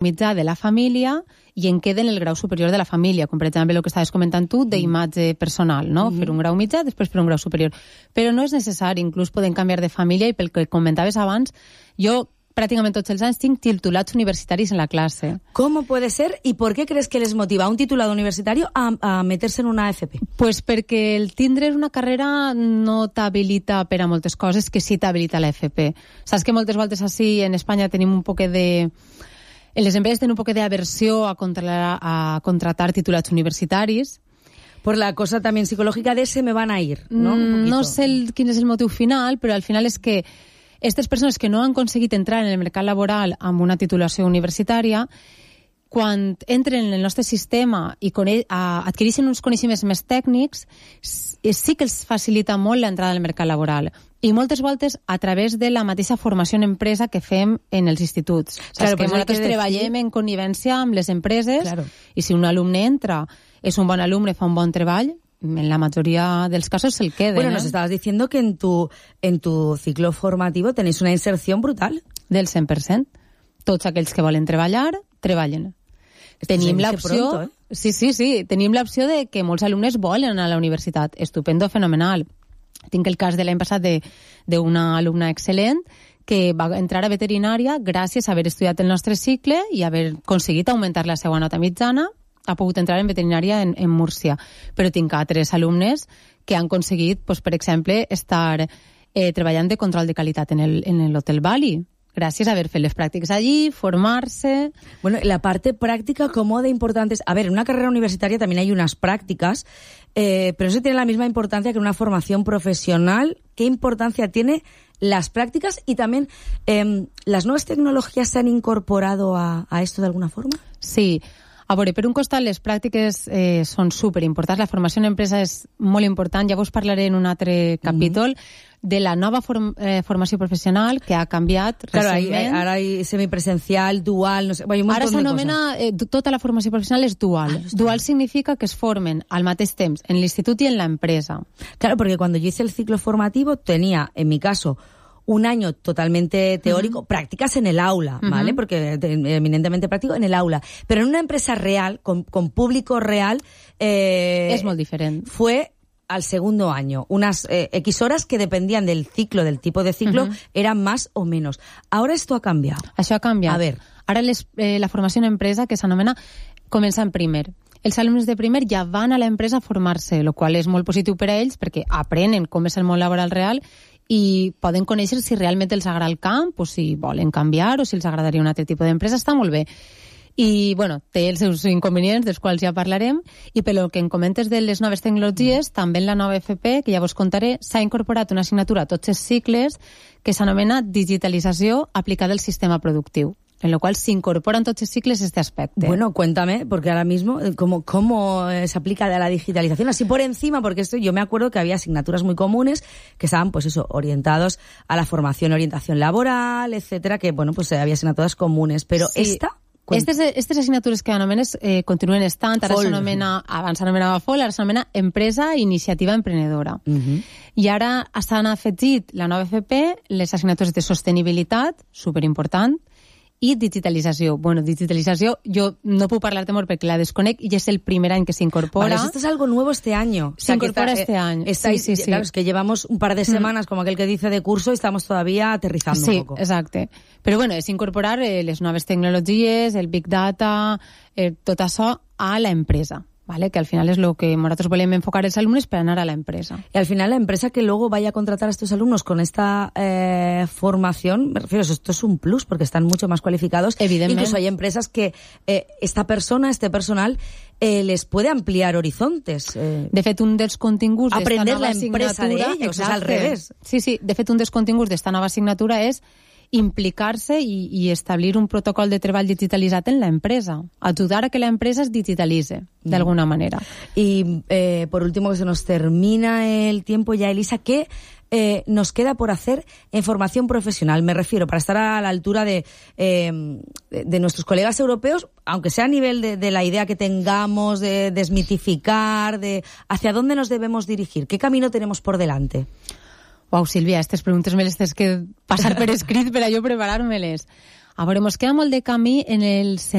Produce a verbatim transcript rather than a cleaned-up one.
mitjà de la família i en queden el grau superior de la família, com per exemple el que estaves comentant tu d'imatge personal, no? Mm-hmm. Fer un grau mitjà, després fer un grau superior. Però no és necessari, inclús poden canviar de família i pel que comentaves abans, jo pràcticament tots els anys tinc titulats universitaris en la clase. ¿Cómo puede ser y por qué crees que les motiva un titulado universitario a, a meterse en una A F P? Pues perquè el tindre una carrera no t'habilita per a moltes coses que sí t'habilita la F P. Saps que moltes voltes així en Espanya tenim un poc de... En les empreses tenen un poc d'aversió a, contra, a contratar titulats universitaris. Por la cosa también psicológica de se me van a ir, ¿no? No sé el, quin és el motiu final, però al final és que aquestes persones que no han aconseguit entrar en el mercat laboral amb una titulació universitària, quan entren en el nostre sistema i adquireixen uns coneixements més tècnics, sí que els facilita molt l'entrada al mercat laboral. I moltes voltes a través de la mateixa formació en empresa que fem en els instituts. Claro, que nosaltres treballem en connivència amb les empreses, claro. I si un alumne entra, és un bon alumne, fa un bon treball, en la mayoría de los casos se el queden. Bueno, ¿eh? Nos estabas diciendo que en tu en tu ciclo formativo tenéis una inserción brutal. Del cent per cent. Tots aquells que volen treballar, treballen. Esto tenim l'opció... Pronto, ¿eh? Sí, sí, sí. Tenim l'opció de que molts alumnes volen anar a la universitat. Estupendo, fenomenal. Tinc el cas de l'any passat d'una alumna excel·lent que va entrar a veterinària gràcies a haver estudiat el nostre cicle i haver aconseguit augmentar la seva nota mitjana. Ha pogut entrar en veterinària en, en Múrcia. Però tinc altres alumnes que han aconseguit, pues, per exemple, estar eh, treballant de control de qualitat en el, en l'Hotel Bali, gràcies a haber fet les pràctiques allí, formarse... Bueno, la parte práctica, ¿cómo de importante es? A ver, en una carrera universitaria también hay unas prácticas, eh, pero eso tiene la misma importancia que una formación profesional. ¿Qué importancia tiene las prácticas y también eh, las nuevas tecnologías se han incorporado a, a esto de alguna forma? Sí. A veure, per un costat, les pràctiques eh, són superimportants. La formació en empresa és molt important. Ja vos parlaré en un altre capítol mm-hmm. de la nova form, eh, formació professional que ha canviat claro, recentment. Hay, ara hay semipresencial, dual... No sé, bueno, un ara s'anomena... Eh, tota la formació professional és dual. Ah, dual significa que es formen al mateix temps en l'institut i en l'empresa. Claro, porque cuando yo hice el ciclo formativo tenía, en mi caso... un año totalmente teórico, uh-huh. prácticas en el aula, ¿vale? Uh-huh. Porque eminentemente práctico en el aula. Pero en una empresa real, con, con público real... Eh, es muy diferente. Fue al segundo año. Unas eh, X horas que dependían del ciclo, del tipo de ciclo, uh-huh. eran más o menos. Ahora esto ha cambiado. Això ha canviat. A ver. Ara les, eh, la formació en empresa, que s'anomena, comença en primer. Els alumnes de primer ja van a l'empresa a formar-se, el qual és molt positiu per a ells perquè aprenen com és el món laboral real i poden conèixer si realment els agrada el camp o si volen canviar o si els agradaria un altre tipus d'empresa. Està molt bé. I, bueno, té els seus inconvenients, dels quals ja parlarem, i pel que em comentes de les noves tecnologies, també en la nova F P, que ja vos contaré, s'ha incorporat una assignatura a tots els cicles que s'anomena digitalització aplicada al sistema productiu, en lo cual se incorporan todos los ciclos este aspecto. Bueno, cuéntame, porque ahora mismo, ¿cómo, cómo se aplica la digitalización? Así por encima, porque esto yo me acuerdo que había asignaturas muy comunes que estaban, pues eso, orientados a la formación, orientación laboral, etcétera, que, bueno, pues había asignaturas comunes, pero sí. esta... Aquestes, aquestes assignatures que anomenes eh, continuen estant, ara s'anomena, abans s'anomenava F O L, ara s'anomena Empresa Iniciativa Emprenedora. Uh-huh. I ara s'han afegit la nova F P, les assignatures de sostenibilitat, superimportant, i digitalització. Bueno, digitalització, yo no puedo parlar-te molt perquè la desconec i és el primer any que s'incorpora. Vale, esto es algo nuevo este año. Se incorpora este año. Estáis, sí, sí, sí. Claro, es que llevamos un par de semanas, mm. como aquel que dice, de curso y estamos todavía aterrizando sí, un poco. Sí, exacte. Però bueno, és incorporar eh, les noves tecnologies, el Big Data, eh, tot això a la empresa. ¿Vale? Que al final es lo que nosotros volvemos a enfocar a los alumnos para ganar a la empresa. Y al final la empresa que luego vaya a contratar a estos alumnos con esta eh, formación, me refiero, esto es un plus porque están mucho más cualificados. Evidentemente. Incluso hay empresas que eh, esta persona, este personal, eh, les puede ampliar horizontes. Eh, de fet, un dels continguts aprender d'esta nova la empresa de ellos, exacte. És al revés. Sí, sí, de fet, un dels continguts d'esta nova assignatura és implicar-se i, i establir un protocol de treball digitalitzat en la empresa. Ayudar a que la empresa es digitalice, de alguna manera. Y, eh, por último, que se nos termina el tiempo ya, Elisa, ¿qué eh, nos queda por hacer en formación profesional? Me refiero, para estar a la altura de, eh, de, de nuestros colegas europeos, aunque sea a nivel de, de la idea que tengamos, de desmitificar, de hacia dónde nos debemos dirigir. ¿Qué camino tenemos por delante? Uau, Sílvia, aquestes preguntes me les tens que passar per escrit per a jo preparar-me-les. A veure, mos queda molt de camí en el sentit